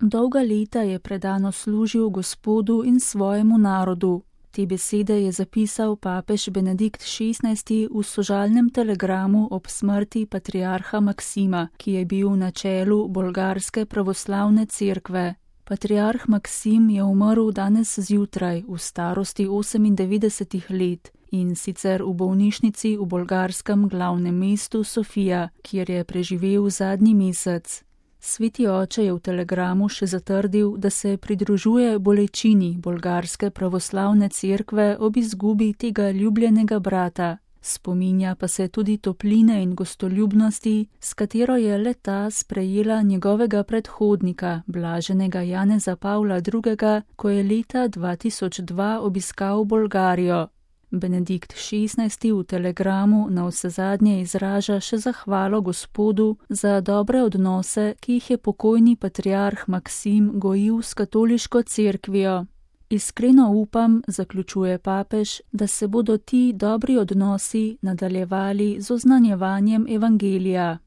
Dolga leta je predano služil Gospodu in svojemu narodu. Te besede je zapisal papež Benedikt XVI v sožalnem telegramu ob smrti patriarha Maksima, ki je bil na čelu bolgarske pravoslavne cerkve. Patriarh Maksim je umrl danes zjutraj v starosti 98 let in sicer v bolnišnici v bolgarskem glavnem mestu Sofija, kjer je preživel zadnji mesec. Sveti oče je v telegramu še zatrdil, da se pridružuje bolečini bolgarske pravoslavne cerkve ob izgubi tega ljubljenega brata. Spominja pa se tudi topline in gostoljubnosti, s katero je le-ta sprejela njegovega predhodnika, blaženega Janeza Pavla II., ko je leta 2002 obiskal Bolgarijo. Benedikt XVI v telegramu navsezadnje izraža še zahvalo Gospodu za dobre odnose, ki jih je pokojni patriarh Maksim gojil s katoliško cerkvijo. Iskreno upam, zaključuje papež, da se bodo ti dobri odnosi nadaljevali z oznanjevanjem evangelija.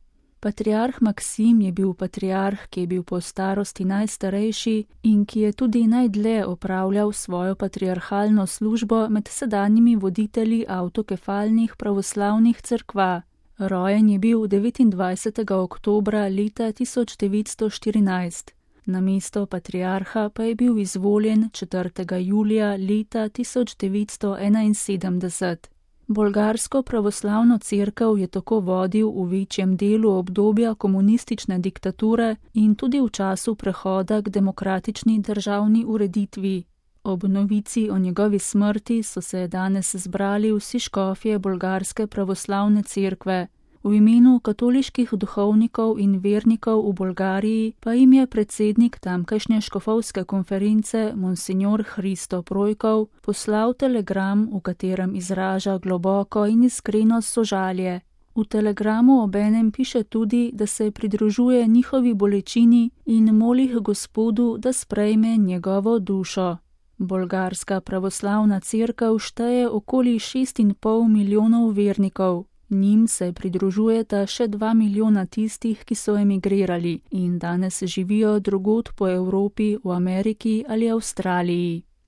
Patriarh Maksim je bil patriarh, ki je bil po starosti najstarejši in ki je tudi najdlje opravljal svojo patriarhalno službo med sedanjimi voditelji avtokefalnih pravoslavnih cerkva. Rojen je bil 29. oktobra leta 1914. Na mesto patriarha pa je bil izvoljen 4. julija leta 1971. Bolgarsko pravoslavno cerkev je tako vodil v večjem delu obdobja komunistične diktature in tudi v času prehoda k demokratični državni ureditvi. Ob novici o njegovi smrti so se danes zbrali vsi škofje bolgarske pravoslavne cerkve. V imenu katoliških duhovnikov in vernikov v Bolgariji pa jim je predsednik tamkajšnje škofovske konference Monsignor Hristo Projkov poslal telegram, v katerem izraža globoko in iskreno sožalje. V telegramu obenem piše tudi, da se pridružuje njihovi bolečini in moli Gospodu, da sprejme njegovo dušo. Bolgarska pravoslavna cerkev šteje okoli 6,5 milijonov vernikov. Njim se pridružujeta še 2 milijona tistih, ki so emigrirali in danes živijo drugod po Evropi, v Ameriki ali Avstraliji.